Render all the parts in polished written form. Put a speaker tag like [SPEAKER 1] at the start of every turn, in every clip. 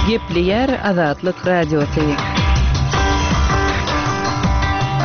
[SPEAKER 1] Gepleýär Azatlyk Radiosy.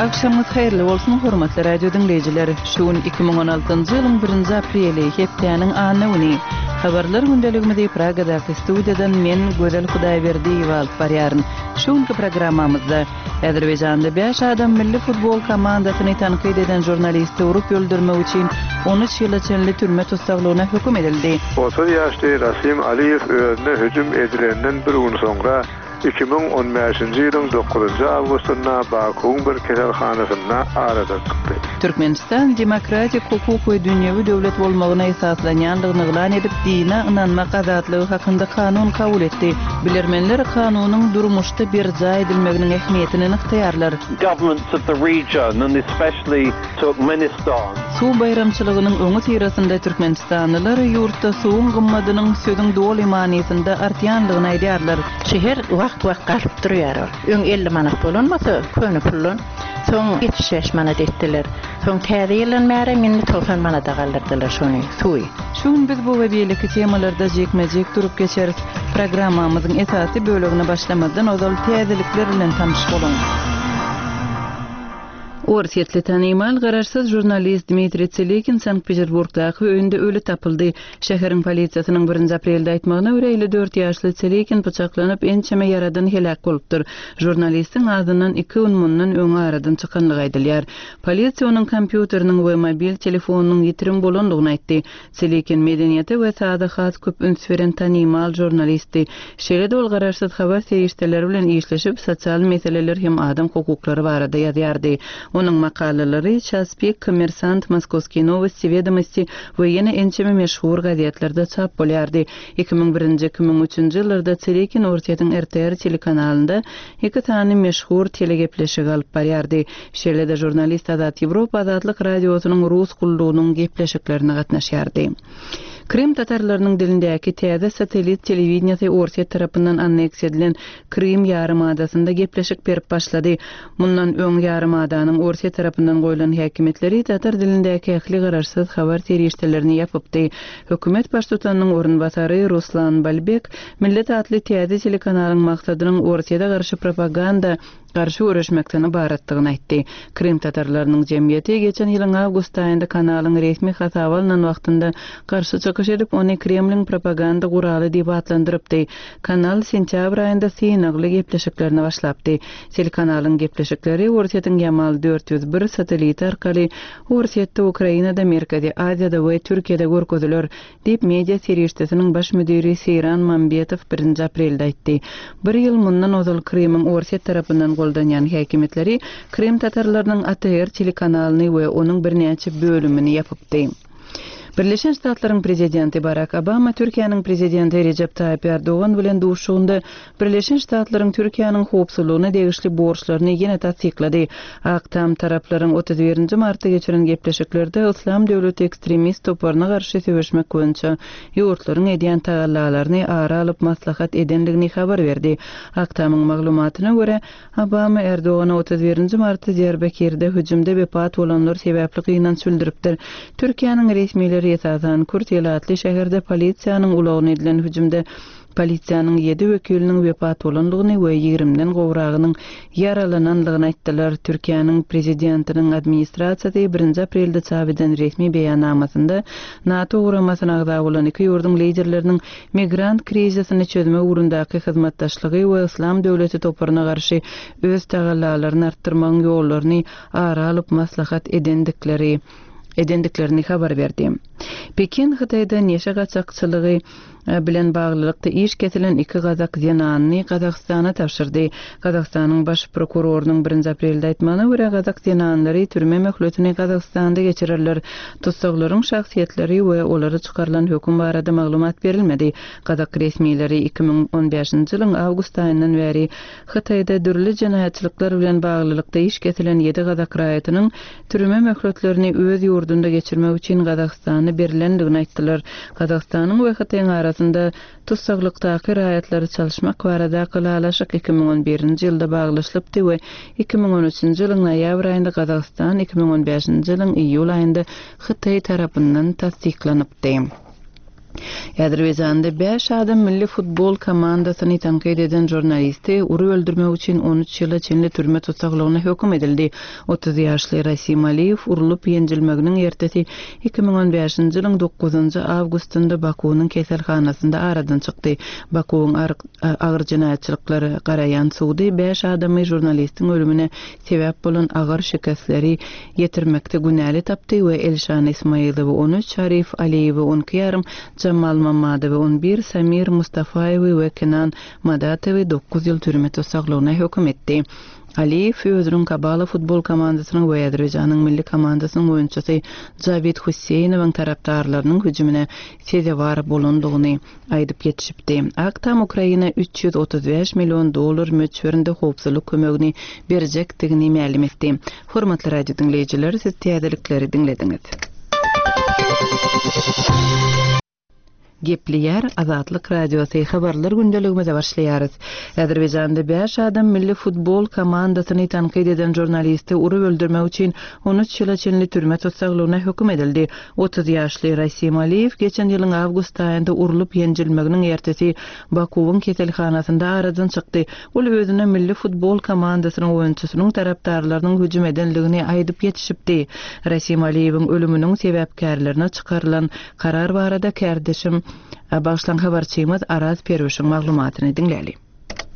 [SPEAKER 1] Agşamyňyz haýyrly bolsun, hormatly radio diňleýjiler! Şu gün 2016-njy ýylyň birinji apreli, hepdäniň anna güni. Habarlar gündeligimizi Pragadaky studiýadan men, Gözel Hudaýberdiýewa alyp barýaryn. Şu günki programmamyzda, Azerbaýjanda bäş adam milli futbol komandasyny tankyt eden žurnalisti urup öldürmek üçin 13 ýyla çenli türme tussaglygyna höküm edildi.
[SPEAKER 2] 30 ýaşly Rasim Aliýew özüne hüjüm edilenden bir gün soňra, 2015-nji ýylyň dokuzynjy awgustynda Bakuwyň bir keselhanasynda aradan çykdy.
[SPEAKER 1] Türkmenistan demokratik, hukuk we dünýewi döwlet bolmagyna esaslanýandygyny yglan edip, dine ynanmak azatlygy hakynda kanun kabul etdi. Bilermenler kanunyň durmuşda berjaý edilmeginiň ähmiýetini nygtaýarlar.
[SPEAKER 3] Governments of the region and especially Turkmenistan.
[SPEAKER 1] Suw baýramçylygynyň öňüsyrasynda türkmenistanlylar ýurtda suwuň gymmadynyň sözüň doly manysynda artýandygyny aýdýarlar.
[SPEAKER 4] Şäher wagt-wagt galyp durýar ol. Öň 50 manat bolan bolsa, köne puldan, soň 75 manat etdiler. Soň täze ýyldan bärem indi 90 manada galdyrdylar şony, suwy.
[SPEAKER 1] Şu gün biz bu we beýleki temalarda jikme-jik durup geçeris. Programmamyzyň esasy bölegine başlamazdan ozal täzelikler bilen tanyş boluň. Orsýetli tanymal garaşsyz žurnalist Dmitriý Tselikin Sankt-Peterburgdaky öýünde öli tapyldy. Şäheriň polisiýasynyň birinji aprelde aýtmagyna görä, 54 ýaşly Tselikin pyçaklanyp, ençeme ýaradan heläk bolupdyr. Žurnalistiň azyndan iki gün mundan öň aradan çykanlygy aýdylýar. Polisiýa onuň kompýuteriniň we mobil telefonynyň ýitirim bolandygyny aýtdy. Tselikin medeniýete we saza has köp üns beren tanymal žurnalistdi. Şeýle-de ol garaşsyz habar serişdeleri bilen işleşip, sosial meseleler hem adam hukuklary barada ýazýardy. Onuň makalalary Ças pik, Kommersant, Moskowskiý nowosti, Wedomosti we ýene ençeme meşhur gazetlerde çap bolýardy. 2001-nji, 2003-nji ýyllarda Tselikin Orsýetiň RTR telekanalynda iki sany meşhur telegepleşigi alyp barýardy. Şeýle-de žurnalist Azat Ýewropa Azatlyk Radiosynyň Rus gullugynyň gepleşiklerine gatnaşýardy. Krym tatarlarynyň dilindäki täze satellit telewideniýesi Orsýet tarapyndan anneksiýa edilen Krym ýarymadasynda gepleşik berip başlady. Mundan öň ýarymadanyň Orsýet tarapyndan goýlan häkimiýetleri tatar dilindäki ähli garaşsyz habar serişdelerini ýapypdy. Hökümet baştutanynyň orunbasary Ruslan Balbek Millet atly täze telekanalyň maksadynyň Orsýete garşy propaganda garşy göreşmekden ybaratdygyny aýtdy. Krym tatarlarynyň jemgyýeti geçen ýylyň awgust aýynda kanalyň resmi hasaba alnan wagtynda garşy çykyş edip, ony Kremliň propaganda guraly diýip atlandyrypdy. Kanal sentýabr aýynda synagly gepleşiklerine başlapdy. Telekanalyň gepleşikleri Orsýetiň Ýamal 401 satelliti arkaly Orsýetde, Ukrainada, Merkezi Aziýada we Türkiýede görkeziler. Diýip, media serişdesiniň baş müdiri Seýran Mambetow birinji aprelde aýtdy. Bir ýyl mundan ozal Krymyň Orsýet tarapyndan goldanýan häkimiýetleri krym tatarlarynyň ATR telekanalyny we onuň birnäçe bölümini ýapypdy. Birleşen Ştatlaryň prezidenti Barak Obama Türkiýäniň prezidenti Rejep Taýyp Ärdogan bilen duşuşygynda Birleşen Ştatlaryň Türkiýäniň howpsuzlygyna degişli borçlaryny ýene tassyklady. Ak Tam taraplaryň 31 nji martda geçiren gepleşiklerde Yslam döwleti ekstremist toparyna garşy söweşmek boýunça ýurtlaryň edýän tagallalaryny ara alyp maslahat edendigini habar berdi. Ak Tamyň maglumatyna görä, Obama Erdogana 31 nji martda Diýarbakirde hüjümde wepat bolanlar sebäpli gynanç bildiripdir. Türkiýäniň resmileri esasan kürt ilatly şäherde polisiýanyň ulagyna edilen hüjümde Polisiýanyň ýedi wekiliniň wepat bolandygyny we ýigrimden gowragynyň ýaralanandygyny aýtdylar. Türkiýäniň Prezidentiniň administrasiýasy birinji aprelde çap eden resmi beýannamasynda NATO guramasyna agza bolan iki ýurduň liderleriniň migrant krizisini çözmek ugrundaky hyzmatdaşlygy we Yslam döwleti toparyna garşy öz tagallalaryny artdyrmagyň ýollaryny ara alyp maslahat edendikleri edendiklerini habar berdi. Pekin Hytaýda neşe gaçakçylygy bilen baglylykda iş kesilen iki gazak zenanyny Gazagystana tabşyrdy. Gazagystanyň baş prokurorynyň birinji aprelde aýtmagyna görä, gazak zenanlary türme möhletini Gazagystanda geçirerler. Tussaglaryň şahsyýetleri we olara çykarylan höküm barada maglumat berilmedi. Gazak resmileri 2015-nji ýylyň awgust aýyndan bäri Hytaýda dürli jenaýatçylyklar bilen baglylykda iş kesilen ýedi gazak raýatynyň türme möhletlerini öz ýurdunda geçirmek üçin Gazagystana berlendigini aýtdylar. Gazagystanyň we Hytaýyň arasynda tussaglykdaky raýatlary çalyşmak baradaky ylalaşyk 2011-nji ýylda baglaşylypdy we 2013-nji ýylyň noýabr aýynda Gazagystan, 2015-nji ýylyň iýul aýynda Hytaý tarapyndan tassyklanypdy. Azerbaýjanda bäş adam milli futbol komandasyny tankyt eden žurnalisti urup öldürmek üçin 13 ýyla çenli türme tussaglygyna höküm edildi. 30 ýaşly Rasim Aliýew urlup ýenjilmeginiň ertesi 2015-nji ýylyň dokuzynjy awgustynda Bakuwynyň keselhanasynda aradan çykdy. Bakuwyň agyr jenaýatçylyklara garaýan sudy bäş adamy žurnalistiň ölümine sebäp bolan agyr şikesleri ýetirmekde günäli tapdy we Elşan Ismaýylowy on üç, Arif Aliýewi on iki ýarym, Jamal Mammadowy on bir, Samir Mustafaýewi we Kenan Madatowy dokuz ýyl türme tussaglygyna höküm etdi. Aliýew özüniň Kabala futbol komandasynyň we Azerbaýjanyň milli komandasynyň oýunçysy Jawid Husseýnowyň tarapdarlarynyň hüjümine sezewar bolandygyny aýdyp ýetişipdi. Ak Tam Ukraina 335 million dollar möçberinde howpsuzlyk kömegini berjekdigini mälim etdi. Hormatly radio diňleýjiler, siz täzelikleri diňlediňiz. Gepleýär Azatlyk Radiosy, Habarlar gündeligimize başlaýarys. Azerbaýjanda bäş adam milli futbol komandasyny tankyt eden žurnalisti urup öldürmek üçin 13 ýyla çenli türme tussaglygyna höküm edildi. 30 ýaşly Rasim Aliýew geçen ýylyň awgust aýynda urlup ýenjilmeginiň ertesi Bakuwyň keselhanasynda aradan çykdy. Ol özüne milli futbol komandasynyň oýunçysynyň tarapdarlarynyň hüjüm edendigini aýdyp ýetişipdi. Rasim Aliýewiň ölüminiň sebäpkärlerine çykarylan karar barada kärdeşim, bagyşlaň habarçymyz Araz Perwişiň maglumatyny diňläli.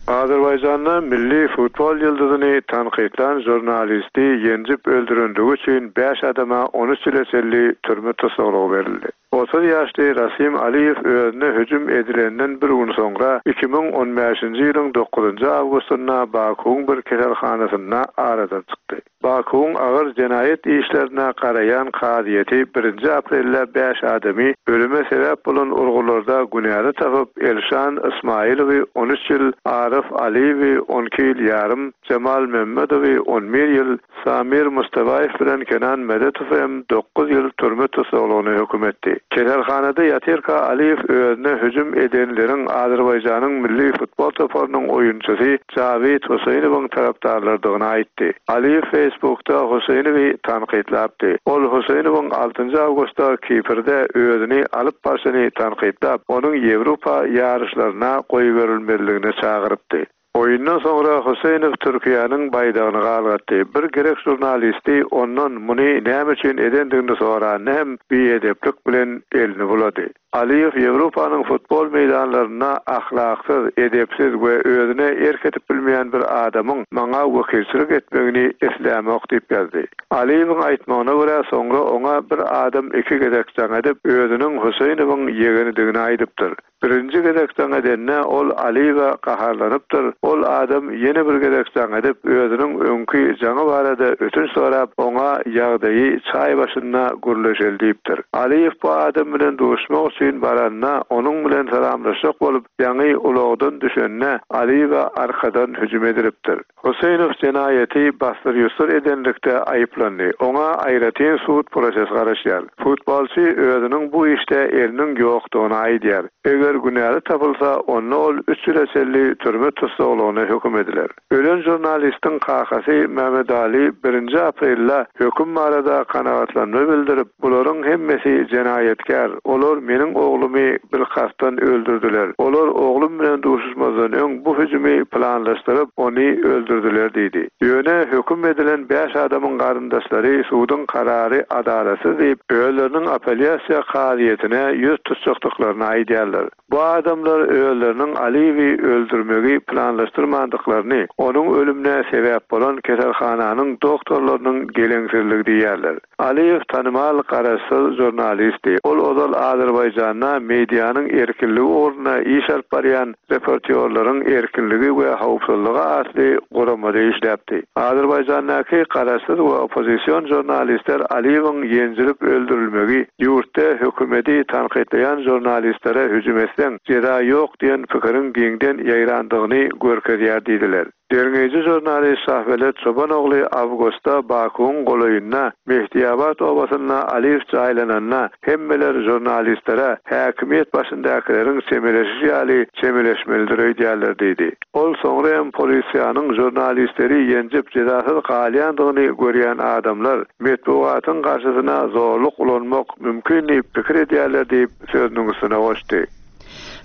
[SPEAKER 2] Azerbaýjanda milli futbol ýyldyzyny tankytlan žurnalisti ýenjip öldürendigi üçin bäş adama 13 ýyla çenli türme tussaglygy berildi. 30 ýaşly Rasim Aliýew özüne hüjüm edilenden bir gün soňra, 2015-nji ýylyň dokuzynjy awgustynda Bakuwyň bir keselhanasynda aradan çykdy. Bakuwyň agyr jenaýat işlerine garaýan kazyýeti birinji aprelde bäş adamy ölüme sebäp bolan urgularda günäli tapyp, Elşan Ysmaýylowy on üç ýyl, Aryf Aliýewi on iki ýyl ýarym, Jemal Memmedowy on bir ýyl, Samir Mustafaýew bilen Kenan Medetowy hem dokuz ýyl türme tussaglygyna höküm etdi. Keselhanada ýatyrka Aliýew özüne hüjüm edenleriň Azerbaýjanyň milli futbol toparynyň oýunçysy Jawid Huseýnowyň tarapdarlarydygyny aýtdy. Aliýew Facebookda Huseýnowy tankytlapdy. Ol Huseýnowyň altynjy awgustda Kiprde özüni alyp barşyny tankytlap, onuň Ýewropa ýaryşlaryna goýberilmezligine çagyrypdy. Oýundan soňra Huseýnow Türkiýäniň baýdagyny galgatdy. Bir grek žurnalisti ondan muny näme üçin edendigini soranda hem biedeplik bilen elini bulady. Aliýew Ýewropanyň futbol meýdanlarynda ahlaksyz, edepsiz we özüne erk edip bilmeýän bir adamyň maňa wekilçilik etmegini islämok diýip ýazdy. Aliýewiň aýtmagyna görä, soňra oňa bir adam iki gezek jaň edip, özüniň Huseýnowyň ýegenidigini aýdypdyr. Birinji gezek jaň edende ol Aliýewe gaharlanypdyr, ol adam ýene bir gezek jaň edip, özüniň öňki jaňy barada ötünç sorap, oňa ýagdaýy çaý başynda gürleşeli diýipdir. Aliýew bu adam bilen duşmak üçin baranda, onuň bilen salamlaşjak bolup, ýaňy ulagdan düşende, Aliýewe arkadan hüjüm edilipdir. Huseýnow jenaýaty bassyr-ýussur edenlikde aýyplandy. Oňa aýratyn sud prosesi garaşýar. Futbolçy özüniň bu işde eliniň ýokdugyny aýdýar. Eger günäli tapylsa, onda ol üç ýyla çenli türme tussaglygyna höküm ediler. Ölen žurnalistiň kakasy Mehmedali birinji aprelde höküm barada kanagatlanma bildirip, Bularyň hemmesi jenaýatkär. Olar meniň oglumy bilkastdan öldürdiler. Olar oglum bilen duşuşmazdan öň bu hüjümi planlaşdyryp, ony öldürdiler diýdi. Ýöne höküm edilen bäş adamyň garyndaşlary suduň karary adalatsyz diýip, özleriniň apelýasiýa kazyýetine ýüz tutjakdyklaryny aýdýarlar. Bu adamlar özleriniň Aliýewi öldürmegi planlaşdyrmandyklaryny, onuň ölümine sebäp bolan keselhananyň doktorlarynyň geleňsizligi diýýärler. Aliýew tanymal garaşsyz žurnalistdi. Ol ozal Azerbaýjanda medianyň erkinligi ugrunda iş alyp barýan Reportýorlaryň erkinligi we howpsuzlygy atly guramada işläpdi. Azerbaýjandaky garaşsyz we oppozision žurnalistler Aliýewiň ýenjilip öldürilmegi ýurtda hökümeti tankytlaýan žurnalistlere hüjüm etseň, jeza ýok diýen pikiriň giňden ýaýrandygyny görkezýär diýdiler. Derňeýji žurnalist Şahbelet Çobanogly awgustda Bakuwyň golaýynda, Mehdiabat obasynda Aliýew jaýlananda, hemmeler žurnalistlere häkimiýet başyndakylaryň çemeleşişi ýaly çemeleşmelidir öýdýärler diýdi. Ol soňra hem polisiýanyň žurnalistleri ýenjip jezasyz galýandygyny görýän adamlar metbugatyň garşysyna zorluk ulanmak mümkin diýip pikir edýärler diýip, sözüniň üstüne goşdy.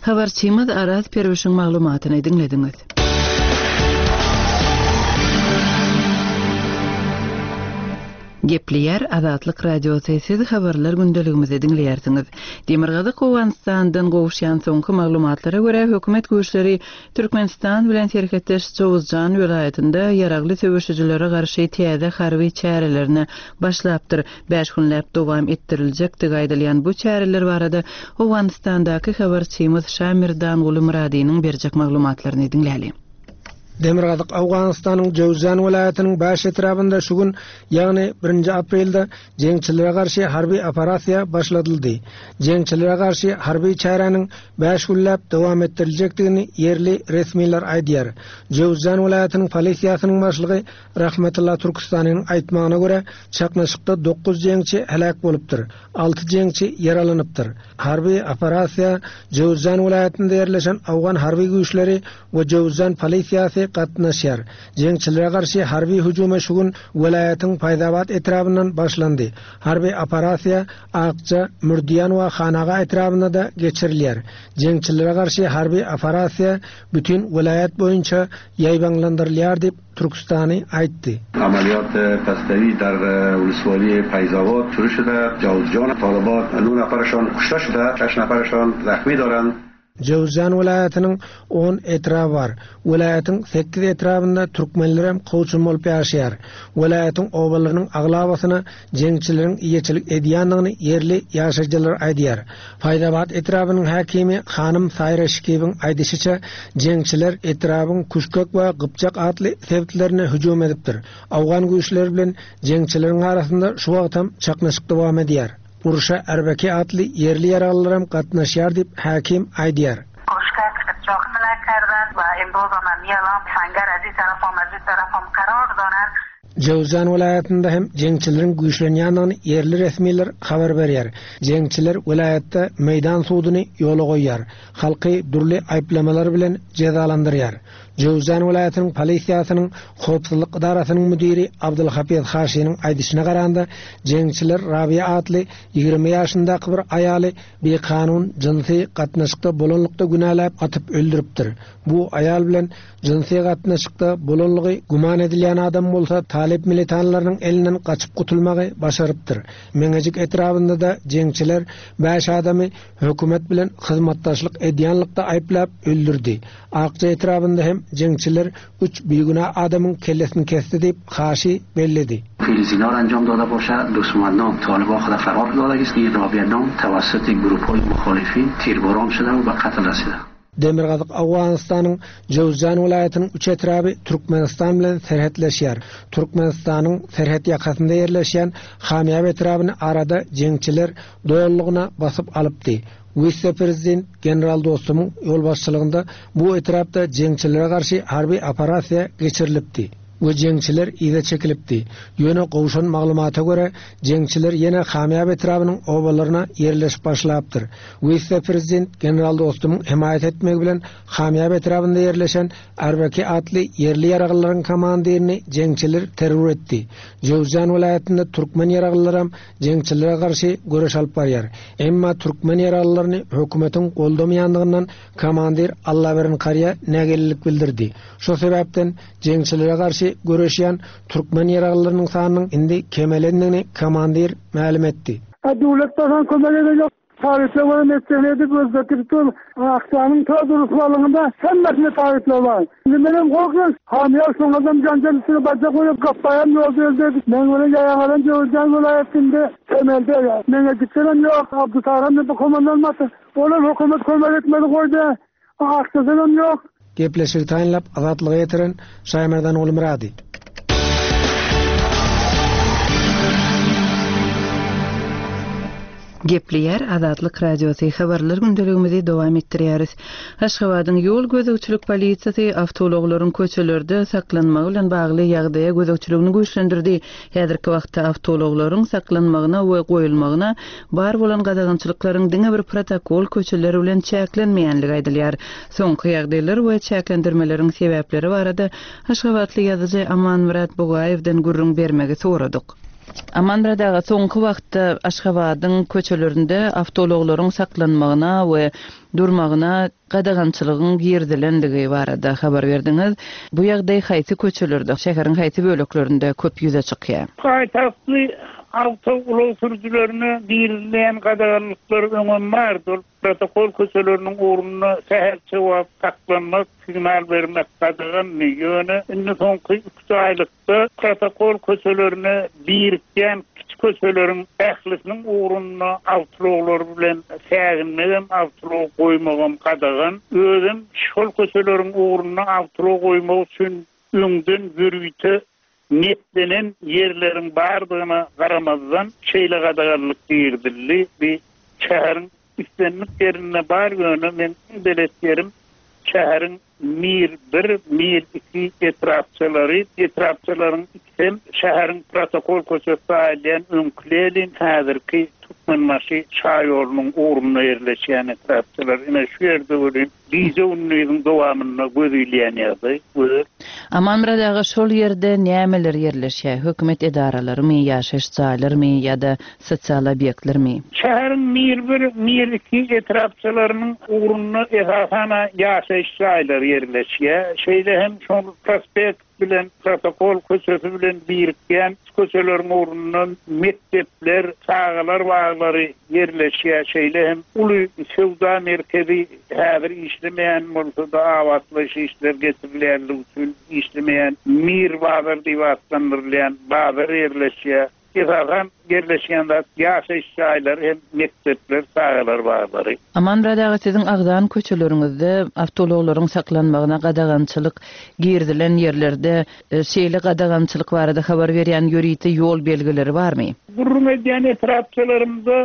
[SPEAKER 1] Habarçymyz Araz Perwişiň maglumatyny diňlediňiz. Gepleýär Azatlyk Radiosy, siz habarlar gündeligimizi diňleýärsiňiz. Demirgazyk Owganystandan gowuşýan soňky maglumatlara görä, hökümet güýçleri Türkmenistan bilen serhetdeş Jowuzjan welaýatynda ýaragly söweşijilere garşy täze harby çärelerine başlapdyr. Bäş günläp dowam etdiriljekdigi aýdylýan bu çäreler barada Owganystandaky habarçymyz Şamirdanguly Myradynyň berjek maglumatlaryny diňläli.
[SPEAKER 5] Demirgazyk Owganystanyň Jöwzjan welaýatynyň Bäş etrabynda şu gün, ýagny birinji aprelde jeňçilere garşy harby operasiýa başladyldy. Jeňçilere garşy harby çäräniň bäş günläp dowam etdiriljekdigini ýerli resmiler aýdýar. Jöwzjan welaýatynyň polisiýasynyň başlygy Rahmetulla Türküstanynyň aýtmagyna görä, çaknyşykda dokuz jeňçi heläk bolupdyr, alty jeňçi ýaralanypdyr. Harby operasiýa Jöwüzjan welaýatynda ýerleşen owgan harby güýçleri we Jöwüzjan polisiýasy gatnaşýar. Jeňçilere garşy harby hüjüme şu gün welaýatyň Paýzabat etrabyndan başlandy. Harby operasiýa Akja, Mürdiýan we Hanaga etrabynda-da geçirilýär. Jeňçilere garşy harby operasiýa bütin welaýat boýunça ýaýbaňlandyrylýar diýip, Türküstany aýtdy.
[SPEAKER 6] عملیات پستوی در ولسوالی فیض شروع شده جوزجان طالبان 9 نفرشان کشته شده 6 نفرشان زخمی دارند.
[SPEAKER 5] Jöwüzjan welaýatynyň on etraby bar. Welaýatyň sekiz etrabynda türkmenlerem kowçum bolup ýaşaýar. Welaýatyň obalarynyň aglabasyna jeňçileriň eýeçilik edýändigini ýerli ýaşaýjylar aýdýar. Faýzabat etrabynyň häkimi hanym Saýra Şikibiň aýdyşyça, jeňçiler etrabyň Küşkek we Gypjak atly sebitlerine hüjüm edipdir. Owgan güýçleri bilen jeňçileriň arasynda şu wagtam çaknyşyk dowam edýär. Urşa Erbeki atly ýerli ýaraglylaram gatnaşýar diýip, häkim aýdýar.
[SPEAKER 7] Küşkek, Gypjak hmle kerden we imroz am senger ez taraf am ez taraf am karar doren.
[SPEAKER 5] Jöwzjan welaýatynda hem jeňçileriň güýçlenýändigini ýerli resmiler habar berýär. Jeňçiler welaýatda meýdan suduny ýola goýýar, halky dürli aýyplamalar bilen jezalandyrýar. Jöwzjan welaýatynyň polisiýasynyň howpsuzlyk edarasynyň müdiri Abdulhafyz Haşiniň aýdyşyna garanda, jeňçiler Rabiýa atly 20 ýaşyndaky bir aýaly bikanun jynsy gatnaşykda bolanlykda günäläp atyp öldüripdir. Bu aýal bilen Jynsy gatnaşykda bolanlygy güman edilýän adam bolsa talyp militanlarynyň elinden gaçyp gutulmagy başarypdyr. Meňejik etrabynda-da jeňçiler bäş adamy hökümet bilen hyzmatdaşlyk edýänlikde aýyplap öldürdi. Akja etrabynda hem jeňçiler üç bigünä adamyň kellesini kesdi diýip, Haşi belledi.
[SPEAKER 6] پیروزینا را انجام داده باشه دوستمندان طالبا خود فرار دادگیست این رابعه نام توسط گروپ های مخالفین تیرباران شده و به قتل رسیده.
[SPEAKER 5] Demirgazyk Owganystanyň Jöwüzjan welaýatynyň üç etraby Türkmenistan bilen serhetleşýär. Türkmenistanyň serhet ýakasynda ýerleşýän Hamýap etrabyny arada jeňçiler dolulygyna basyp alypdy. Wise-prezident general Dostumyň ýolbaşçylygynda bu etrapda jeňçilere garşy harby operasiýa geçirilipdi. We jeňçiler yza çekilipdi. Ýöne gowşan maglumata görä, jeňçiler ýene Hamýap etrabynyň obalaryna ýerleşip başlapdyr. Wise-prezident general Dostumyň hemaýat etmegi bilen Hamýap etrabynda ýerleşen Arbeki atly ýerli ýaraglylaryň komandirini jeňçiler terror etdi. Jöwüzjan welaýatynda türkmen ýaraglylaram jeňçilere garşy göreş alyp barýar. Emma türkmen ýaraglylaryny hökümetiň goldamaýandygyndan komandir Allaberdi Karýa nägilelik bildirdi. Şo sebäpden Jeňçilere garşy göreşýän türkmen ýaraglylarynyň sanynyň indi kemelendigini komandir mälim etdi.
[SPEAKER 8] A döwlet basan kömek eden ýok. Taryplar bolan etjegini edip özbek gidip dur. Akjanyň ta durusbalygynda hemmesinde taryplar bar. Indi menem gorkýan. Hamyýar şoňadam janjal üstüne barjak bolýar. Gapbaýam ýolda öldi. Meň bilen ýaýagalan Jöwüzjan welaýatynda temelde. Meňejikdenem ýok. Abdysaram bu komandan basy. Olam hökümet kömek etmedi goýdy. Akjadanam ýok.
[SPEAKER 5] Gepleşigi taýynlap Azatlyga ýetiren Şaýmerdan Gulmyrady.
[SPEAKER 1] Gepleýär Azatlyk Radiosy, Habarlar gündeligimizi dowam etdirýäris. Aşgabadyň ýol gözegçilik polisiýasy awtoulaglaryň köçelerde saklanmagy bilen bagly ýagdaýa gözegçiligini güýçlendirdi. Häzirki wagtda awtoulaglaryň saklanmagyna we goýulmagyna bar bolan gadagançylyklaryň diňe bir protokol köçeler bilen çäklenmeýänligi aýdylýar. Soňky ýagdaýlar we çäklendirmeleriň sebäpleri barada aşgabatly ýazyjy Amanmyrat Bugaýewden gürrüň bermegi soradyk. Amanmyrat aga, soňky wagtda Aşgabadyň köçelerinde awtoulaglaryň saklanmagyna we durmagyna gadagançylygyň girizilendigi barada habar berdiňiz. Bu ýagdaý haýsy köçelerde, şäheriň haýsy böleklerinde köp ýüze çykýar?
[SPEAKER 9] Paýtagtly awtoulag sürüjilerine girizilýän gadaganlyklar öňem bardy. Ol protokol köçeleriniň ugrunda sähelçe wagt saklanmak, signal bermek gadagandy. Ýöne indi soňky iki-üç aýlykda Da protokol köçelerine birikýän kiçi köçeleriň ählisiniň ugrunda awtoulaglar bilen säginmegem, awtoulag goýmagam gadagan. Özem şol köçeleriň ugrunda awtoulag goýmak üçin öňden ýörite netlenen ýerleriň bardygyna garamazdan, şeýle gadaganlyk girizildi. Bi şäheriň islendik ýerinde bar, ýöne meň iň belet ýerim şäheriň Mir bir, Mir iki etrapçalary, etrapçalaryň ikisem şäheriň protokol köçesi saýylýan öňki Lenin, häzirki Türkmenbaşy şaýolunyň ugrunda ýerleşýän etrapçalar. Ine, şu ýerde welin gije-gündiziň dowamynda göz ilýän ýagdaý, gözel.
[SPEAKER 1] Amanmyrat aga, şol ýerde nämeler ýerleşýär? Hökümet edaralarymy, ýaşaýyş jaýlarymy ýa-da sosial obýektlermi?
[SPEAKER 9] Şäheriň Mir bir, Mir iki etrapçalarynyň ugrunda esasan-a ýaşaýyş jaýlary ýerleşýär. Şeýle hem şol prospekt bilen Protokol köçesi bilen birikýän köçeleriň ugrunda mekdepler, çagalar baglary ýerleşýär. Şeýle hem uly söwda merkezi häzir işlemeýän bolsa-da abatlaýyş işleri geçirilýänligi üçin işlemeýän Mir bazar diýip atlandyrylýan bazar ýerleşýär. Esasan ýerleşýän zat ýaşaýyş jaýlary hem mekdepler, çagalar baglary.
[SPEAKER 1] Amanmyrat aga siziň agzan köçeleriňizde awtoulaglaryň saklanmagyna gadagançylyk girizilen ýerlerde şeýle gadagançylyk barada habar berýän ýörite ýol belgileri barmy?
[SPEAKER 9] Gürrüň edýän etrapçalarymda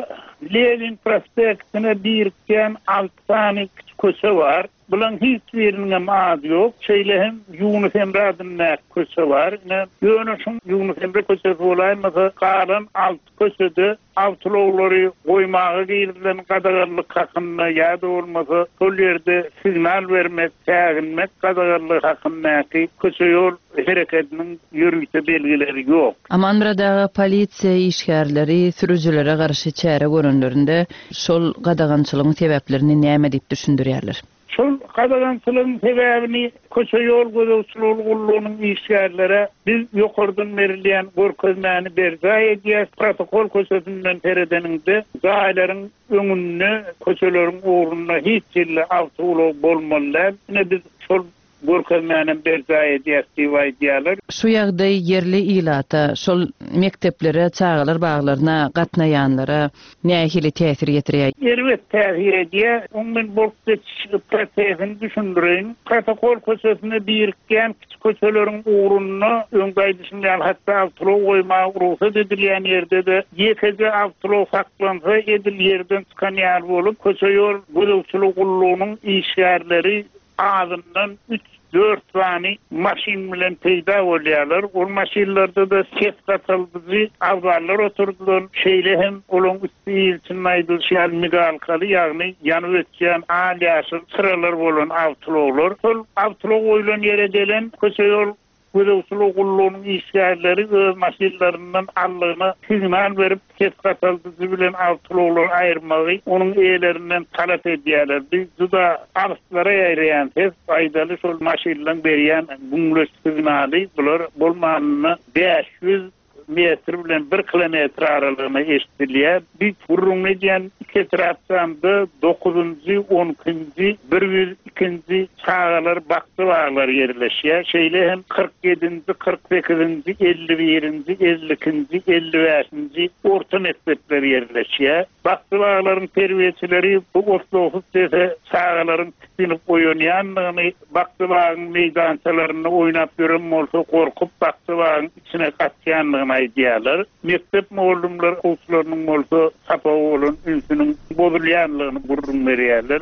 [SPEAKER 9] Lenin prospektine birikýän alty sany kiçi köçe bar. Bulaň hiç biriniňem ady ýok. Şeýle hem Ýunus Emre adyndaky köçe bar. Ine, ýöne şuň Ýunus Emre köçesi bolaýmasa, galan alty köçede awtoulaglary goýmaga girizilen gadaganlyk hakynda ýa-da bolmasa şol ýerde signal bermek, säginmek gadaganlygy hakyndaky köçe-ýol hereketiniň ýörite belgileri ýok.
[SPEAKER 1] Amanmyrat aga, polisiýa işgärleri sürüjilere garşy çäre görenlerinde şol gadagançylygyň sebäplerini näme diýip düşündirýärler?
[SPEAKER 9] Şol gadagançylygyň sebäbini köçe-ýol gözegçiligi gullugynyň işgärlere biz ýokardan berilýän görkezmäni berjaý edýäs, protokol köçesinden seredeniňde jaýlaryň öňünde, köçeleriň ugrunda hiç hili awtoulag bolmaly däl. Ine biz şol Görkezmänem berjaý edýäs diýip aýdýarlar.
[SPEAKER 1] Şu ýagdaý ýerli ilata, şol mekdeplere, çagalar baglaryna gatnaýanlara nähili täsir ýetirýär?
[SPEAKER 9] Erbet täsir edýär. Oň men bolup geçiş prosesini düşündireýin. Protokol köçesine birikýän kiçi köçeleriň ugrunda, öňki aýdyşym ýaly, hatda awtoulag goýmaga rugsat edilýän ýerde-de ýekeje awtoulag saklansa, edil ýerden çykan ýaly bolup, köçe-ýol gözegçiligi gullugynyň işgärleri azyndan üç-dört sany maşyn bilen peýda bolýarlar. Ol maşynlarda-da ses gataldyjy abzallar oturdylan, şeýle hem olaryň üsti il içinde aýdylyşy ýaly migalkaly, ýagny ýanyp öçýän al-ýaşyl çyralar bolan awtoulaglar. Şol awtoulag goýlan ýere gelen köçe-ýol Gözegçilik gullugynyň işgärleri öz maşynlaryndan aldygyna signal berip, ses gataldyjy bilen awtoulaglary aýyrmagy onuň eýelerinden talap edýärler. Bu juda alyslara ýaýraýan ses, aýdaly şol maşynlaryň berýän güňleç signaly bular bolmanynda 500 metr bilen bir kilometr aralygyna eşidilýär. Biz gürrüňini edýän iki etrapçamda dokuzynjy, on ikinji, 102-nji çagalar bakja baglary ýerleşýär. Şeýle hem 47-nji, 48-nji, 51-nji, 52-nji, 55-nji orta mekdepler ýerleşýär. Bakja baglaryň terbiýeçileri bu otlagsyz sese çagalaryň tisginip oýanýandygyny, bakja bagyň meýdançalarynda oýnap ýören bolsa gorkup bakja bagyň içine gaçýandygyny. aýdýarlar. Mekdep mugallymlary okuwçylarynyň bolsa sapaga bolan ünsüniň bozulýanlygyny gürrüň berýärler.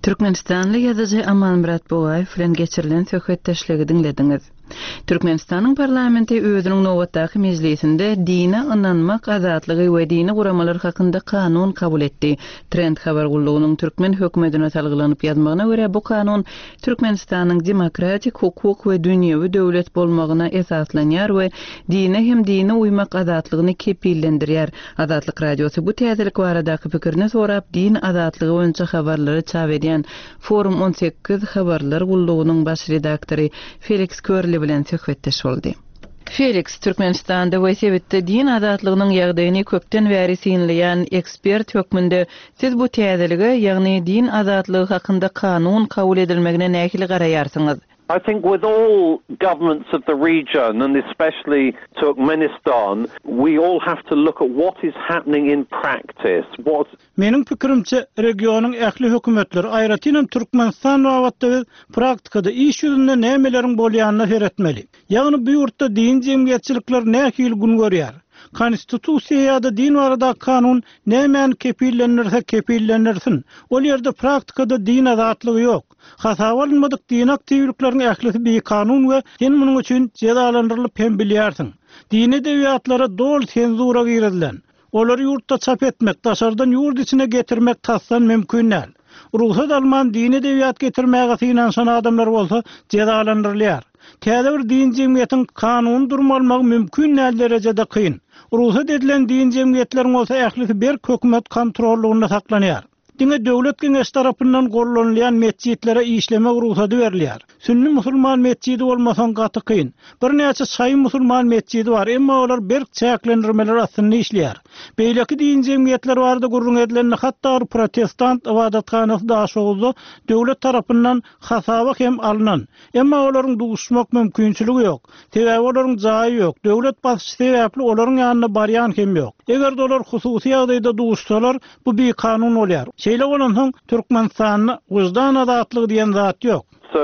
[SPEAKER 1] Türkmenistanly ýazyjy Amanmyrat Bugaýew bilen geçirilen söhbetdeşligi diňlediňiz. Türkmenistanyň parlamenti özüniň nobatdaky mejlisinde dine ynanmak azatlygy we dini guramalar hakynda kanun kabul etdi. Trend habar gullugynyň türkmen hökümetine salgylanyp ýazmagyna görä, bu kanun Türkmenistanyň demokratik, hukuk we dünýewi döwlet bolmagyna esaslanýar we dine hem dine uýmak azatlygyny kepillendirýär. Azatlyk Radiosy bu täzelik baradaky pikirini sorap, din azatlygy boýunça habarlary çap edýän Forum 18 habarlar gullugynyň baş redaktory Feliks Körli bilen söhbetdeş boldy. Feliks, Türkmenistanda we sebitde din azatlygynyň ýagdaýyny köpden bäri synlaýan ekspert hökmünde siz bu täzelige, ýagny din azatlygy hakynda kanun kabul edilmegine nähili garaýarsyňyz?
[SPEAKER 3] I think with all governments of the region and especially Turkmenistan, we all have to look at what is happening in practice, what.
[SPEAKER 8] Meniň pikirimçe, regionyň ähli hökümetleri, aýratynam Türkmenistan babatda biz praktikada, iş ýüzünde nämeleriň bolýanyna seretmeli. Ýagny bu ýurtda dini jemgyýetçilikler nähili gün görýär? Konstitusiýa ýa-da din baradaky kanun nämäni kepillendirse kepillendirsin, ol ýerde praktikada din azatlygy ýok. Hasaba alynmadyk dini aktiwlikleriň ählisi bikanun we sen munuň üçin jezalandyrylyp hem bilýärsiň. Dini edebiýatlara doly senzura girizilen. Olary ýurtda çap etmek, daşardan ýurt içine getirmek tasdan mümkin däl. Rugsat alman dini edebiýat getirmäge synanyşan adamlar bolsa jezalandyrylýar. Täze bir dini jemgyýetiň kanuny durum almagy mümkin däl derejede kyn. Rugsat edilen dini jemgyýetleriň bolsa ählisi berk hökümet kontrollygynda saklanýar. Diňe Döwlet Geňeşi tarapyndan gollanylýan metjitlere işlemek rugsady berilýär. Sünni musulman metjidi bolmasaň gaty kyn. Birnäçe şaýy musulman metjidi bar, emma olar berk çäklendirmeler astynda işleýär. Beýleki dini jemgyýetler barada gürrüň edilende hatda bir protestant ybadathanasy Daşoguzda döwlet tarapyndan hasaba hem alnan. Emma olaryň duşmak mümkinçiligi ýok. Sebäbi olaryň jaýy ýok. Döwlet basyşy sebäpli olaryň ýanyna barýan hem ýok. Eger-de olar hususy ýagdaýda duşsalar, bu bikanun bolýar. Şeýle bolansoň, Türkmenistanda wyždan azatlygy diýen zat ýok.
[SPEAKER 3] So,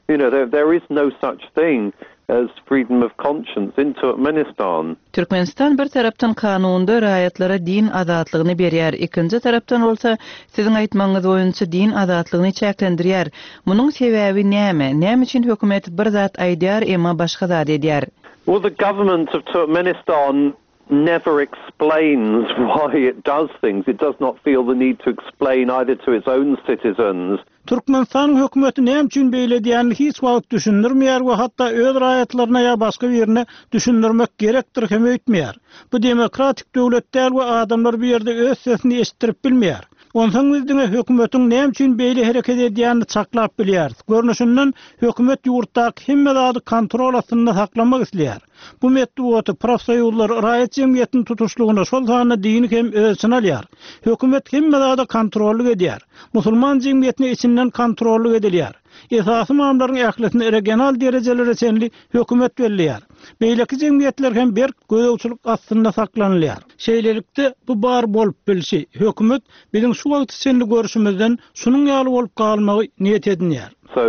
[SPEAKER 3] you know, there, there is no such thing as freedom of conscience in Turkmenistan.
[SPEAKER 1] Türkmenistan bir tarapdan kanunda raýatlara din azatlygyny berýär, ikinji tarapdan bolsa, siziň aýtmagyňyz boýunça din azatlygyny çäklendirýär. Munuň sebäbi näme? Näme üçin hökümet bir zat aýdýar, emma başga zat edýär?
[SPEAKER 3] Well, the government of Turkmenistan never explains why it does things. It does not feel the need to explain either to its own citizens.
[SPEAKER 8] Türkmenistanyň hökümeti näme üçin beýle edýänini hiç wagt düşündirmeýär we hatda öz raýatlaryna ýa başga birine düşündirmek gerekdir hem öýtmeýär. Bu demokratik döwlet däl we adamlar bu ýerde öz sesini eşitdirip bilmeýär. Onsoň biz diňe hökümetiň näme üçin beýle hereket edýänini çaklap bilýäris. Görnüşinden, hökümet ýurtdaky hemme zady kontrol astynda saklamak isleýär. Bu metbugaty, profsoýuzlary, raýat jemgyýetini tutuşlygyna, şol sanda dini hem öz içine alýar. Hökümet hemme zada kontrollyk edýär. Musulman jemgyýetine içinden kontrollyk edilýär. Esasy ymamlaryň ählisini regional derejelere çenli hökümet belleýär. Beýleki jemgyýetler hem berk gözegçilik astynda saklanylýar. Şeýlelikde, bu bar bolup bilşi, hökümet biziň şu wagta çenli görşümizden şunuň ýaly bolup galmagy niýet edinýär.
[SPEAKER 3] So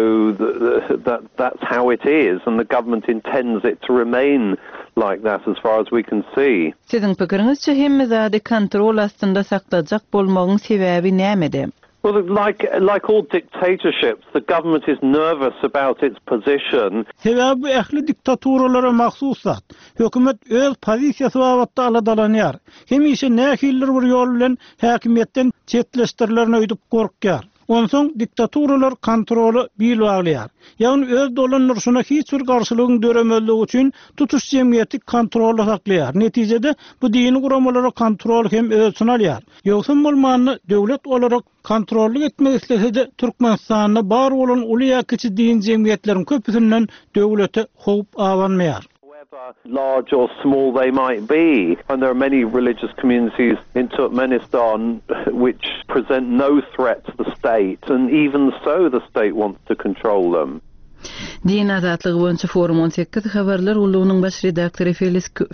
[SPEAKER 3] that that's how it is and the government intends it to remain like that as far as we can see.
[SPEAKER 1] Siziň pikiriňizçe hemme zady kontrol astynda saklajak bolmagyň sebäbi nämede?
[SPEAKER 3] Well, like like all dictatorships, the government is nervous about its position.
[SPEAKER 8] Sebäbi bu ähli diktaturalara mahsus zat. Hökümet öz pozisiýasy babatda aladalanýar. Hemişe nähilidir bir ýol bilen häkimiýetden çetleşdirilerin öýdüp gorkýar. Onsoň diktaturalar kontrola bil baglaýar. Ýagny öz dolandyryşyna hiç bir garşylygyň döremezligi üçin tutuş jemgyýeti kontrolda saklaýar. Netijede bu dini guramalara kontrol hem öz içine alýar. Ýogsam bolmanda döwlet olara kontrollyk etmek islese-de Türkmenistanda bar bolan uly ýa kiçi dini jemgyýetleriň köpüsinden döwlete howp abanmaýar.
[SPEAKER 3] However large or small they might be, and there are many religious communities in Turkmenistan which present no threat to the state, and even so the state wants to control them.
[SPEAKER 1] Din azatlygy boýunça Forum 18 habarlar gullugynyň baş redaktory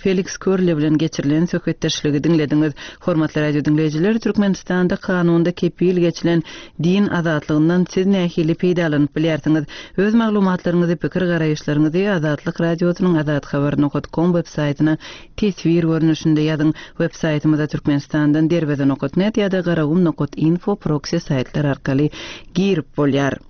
[SPEAKER 1] Feliks Körle bilen geçirilen söhbetdeşligi diňlediňiz. Hormatly radio diňleýjiler, Türkmenistanda kanunda kepil geçilen din azatlygyndan siz nähili peýdalanyp bilýärsiňiz? Öz maglumatlaryňyzy, pikir-garaýyşlaryňyzy Azatlyk Radiosynyň azathabar nokat kom web saýtyna teswir görnüşinde ýazyň. Web saýtymyza Türkmenistandan derweze nokat net ýa-da garagum nokat info proksi saýtlar arkaly girip bolýar.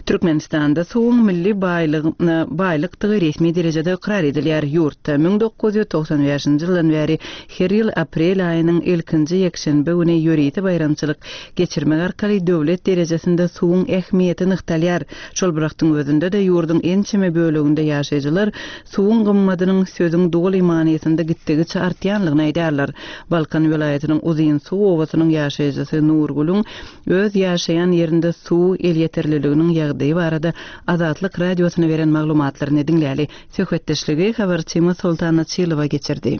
[SPEAKER 1] Türkmenistanda suwuň milli baýlykdygy resmi derejede ykrar edilýär. Ýurtda 1995-nji ýyldan bäri her ýyl aprel aýynyň ilkinji ýekşenbe güni ýörite baýramçylyk geçirmek arkaly döwlet derejesinde suwuň ähmiýeti nygtalýar. Şol bir wagtyň özünde-de ýurduň ençeme böleginde ýaşaýjylar suwuň gymmadynyň sözüň doly manysynda gitdigiçe artýanlygyny aýdýarlar. Balkan welaýatynyň Uzynsuw obasynyň ýaşaýjysy Nurgülüň öz ýaşaýan ýerinde suw elýeterliliginiň ýagdaýy barada Azatlyk Radiosyna beren maglumatlaryny diňläli. Söhbetdeşligi habarçymyz Soltan Açylowa geçirdi.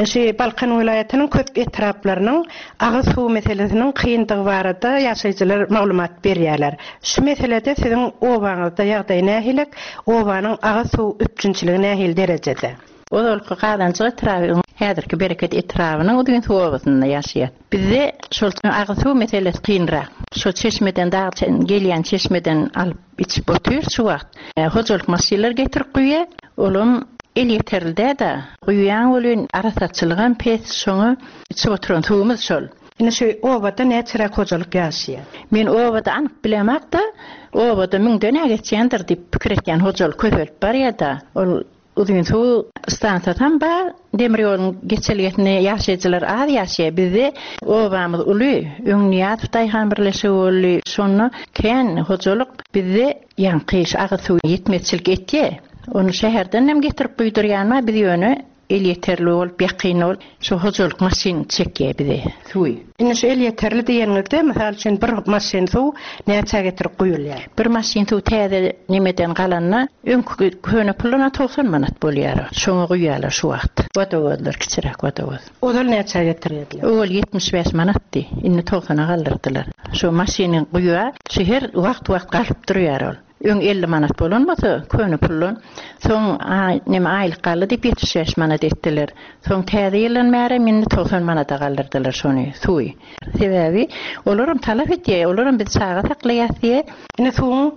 [SPEAKER 4] Şu Balkan welaýatynyň köp etraplarynyň agyz suwy meselesiniň kyndygy barada ýaşaýjylar maglumat berýärler. Şu meselede siziň obaňyzda ýagdaý nähilek, obanyň agyz suw üpjünçiligi nähili derejede? Ozalky Gazanjyk etraby, häzirki Bereket etrabynyň Uzynsuw obasynda ýaşaýar. Bizde şol agyz suw meselesi kynrak. Şo çeşmeden dag gelýän çeşmeden alyp içip otyrys şu wagt. Hojalyk maşynlar getirip guýýar. Olam elýeterli däl-de. Guýýaň welin arassaçylygam pes şoňa içip oturan suwumyz şol. Indi şu obada näçeräk hojalyk ýaşaýar? Men obada anyk bilemok-da, obada müňden-ä geçýändir diýip pikir etýän hojalyk köpelip barýar-da. Ol Uzynsuw stansiýasam bar. Demir ýoluň geçelgesinde ýaşaýjylar az ýaşaýar. Bizde obamyz uly. Öň Nyýazow daýhan birleşigi boldy. Şonda kän hojalyk bizde ýaňky şu agyz suwy ýetmezçilik etýär. Ony şäherdenem getirip guýdurýan bar. Biz ýöne elýeterli bolup, ýakyn bolup, şu hojalyk maşyn çekýär bize suwy. Indi şu elýeterli diýeniňizde, mysal üçin, bir maşyn suw näçä getirip guýulýar? Bir maşyn suw täze nemeden galanda, öňki köne puldan-a 90 manat bolýar. Şoňa guýýarlar şu wagt. Wodowozlar, kiçiräk wodowoz. Ozal näçä getirýärdiler? Owal 75 manatdy, indi togsana galdyrdylar. Şu maşyny guýýar, şu her wagt-wagt galyp durýar ol. Öň 50 manat bolan bolsa, köne puldan, soň neme aýlyk galdy diýip 75 manat etdiler. Soň täze ýyldan bärem indi 90 manada galdyrdylar şony, suwy. Sebäbi olaram talap edýär, olaram biz çaga saklaýas diýýär. Indi suwuň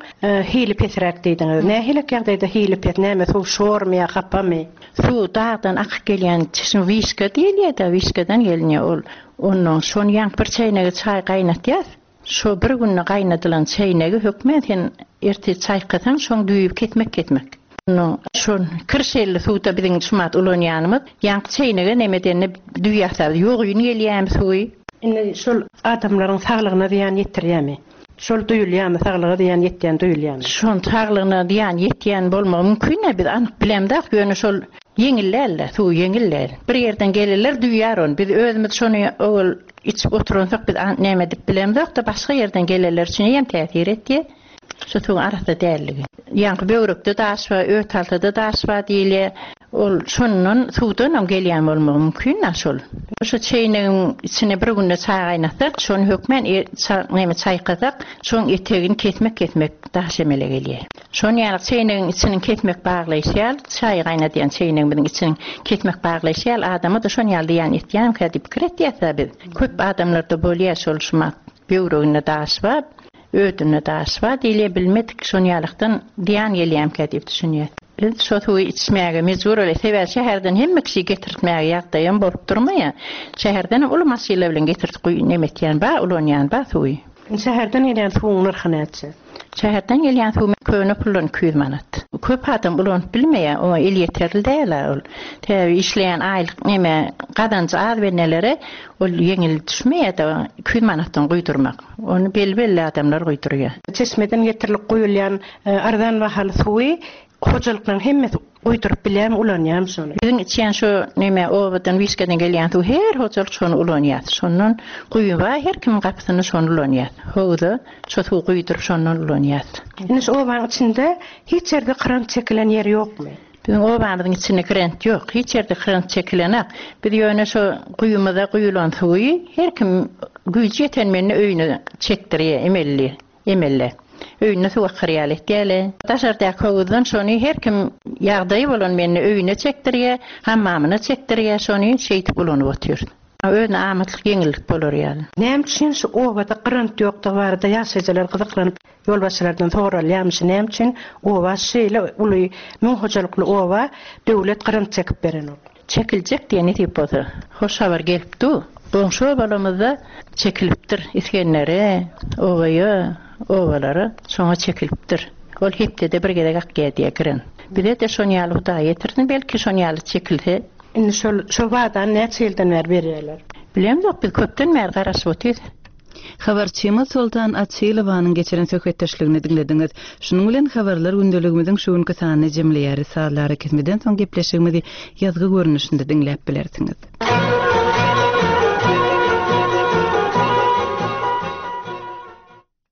[SPEAKER 4] hili pesräk diýdiňiz. Nähilek ýagdaýda hili pes? Näme suw şormy ýa hapamy? Suw dagdan akyp gelýän çeşme wişka diýilýär-de, wişkadan gelinýär ol. Onnoň şony ýaňky bir çäýnege çaý gaýnatýas. Şo bir günde gaýnadylan çäýnegi hökmän sen ertir çaýkasaň şoň düýbi kesmek kesmek. Onnoň şo kirşelli suwda biziň şumat ulanýanymyz ýaňky çäýnege neme edende düý ýasap ýogyn gelýämi suwy. Indi şol adamlaryň saglygyna zyýan ýetirýämi? Şol duýulýamy saglyga zyýan ýetýän duýulýamy? Şon saglygyna zyýan ýetýän bolmagy mümkin-ä biz anyk bilemzok ýöne şol ýeňil däl-de suwy ýeňil däl. Bir ýerden geleler duýýar ony biz özümiz şony owal Içip oturansak biz näme edip bilemzok-da, başga ýerden gelenler üçin eýýäm täsir etýär. Şu suwuň arassa dälligi. Ýaňky böwrekde daş bar, öt altada daş bar diýilýär. Ol şondan, suwdanam gelýän bolmagy mümkin-dä şol. Şu çeýnegiň içine bir günde çaý gaýnatsak, şony hökmän näme çaýkasak, şoň etegini kesmek-kesmek daş emele gelýär. Şon ýaly çeýnegiň içiniň kesmek baglaýşy ýaly, çaý gaýnadýan çeýnegimiziň içiniň kesmek baglaýşy ýaly adama-da şon ýaly zyýan etýärmikä diýip pikir etýäs-ä biz. Köp adamlarda bolýar şol şumat böwreginde daş bar, ödünde daş bar diýilýär, bilmedik şon ýalykdan zyýan gelýärmikä diýip düşünýäs. Biz şo suwy içmäge mejbur bolýas. Sebäbi şäherden hemme kişi getirtmäge ýagdaýam bolup durmaýar. Şäherdenem uly maşynlar bilen getirtip guýy nemetýän bar, ulanýan bar suwy. Şäherden gelýän suwuň nyrhy näçe? Şäherden gelýän suw köne puldan 200 manat. Köp adam ulanyp bilmeýär, oňa elýeterli däl-ä ol. Sebäbi işleýän aýlyk neme, gazanjy az bennelere ol ýeňil düşmeýär-de, 200 manatdan guýdurmak. Ony belli-belli adamlar guýdurýar. Çeşmeden getirilip guýulýan arzan bahaly suwy Hojalyklaryň hemmesi guýduryp bilýärmi, ulanýarmy şony? Biziň içýän şu neme obadan wişkeden gelýän suw her hojalyk şony ulanýar. Şondan guýy bar her kimiň gapysynda şony ulanýar. Howuza şo suwy guýduryp şondan ulanýas. Indi şu obanyň içinde hiç ýerde krant çekilen ýer ýokmy? Biziň obamyzyň içinde krant ýok. Hiç ýerde krant çekilenak. Biz ýöne şo guýumyza guýulan suwy her kim güýji ýeten mende öýüne çekdirýär emelli. Emelde. Öýünde suw akar ýaly etýäle. Daşardaky howuzdan şony her kim ýagdaýy bolan mende öýüne çekdirýä, hammamyna çekdirýä şony şeýdip ulanyp otyrys. Özüne amatlyk ýeňillik bolar ýaly. Näme üçin şu obada grant ýokdugy barada ýaşaýjylar gyzyklanyp ýolbaşçylardan soralýarmyş, näme üçin oba şeýle uly müň hojalykly oba döwlet grant çekip berenok. Çekiljek diýe nesip bolsa. Hoş habar gelip dur. Goňşy obalarymyzda çekilipdir. Isgendere, Obaýa, obalara şoňa çekilipdir. Ol hepdede bir gezek akýar diýe giren. Bize-de şon ýaly Hudaý ýetirsin belki şon ýaly çekilse. Indi şol şol wadany näçe ýyldan bäri berýärler? Bilemzok biz köpden bäri garaşyp otyrys.
[SPEAKER 1] Habarçymyz Soltan Açylowanyň geçiren söhbetdeşligini diňlediňiz. Şunuň bilen Habarlar gündeligimiziň şu günki sanyny jemleýäris. Sazly arakesmeden soň gepleşigimizi ýazgy görnüşinde diňläp bilersiňiz.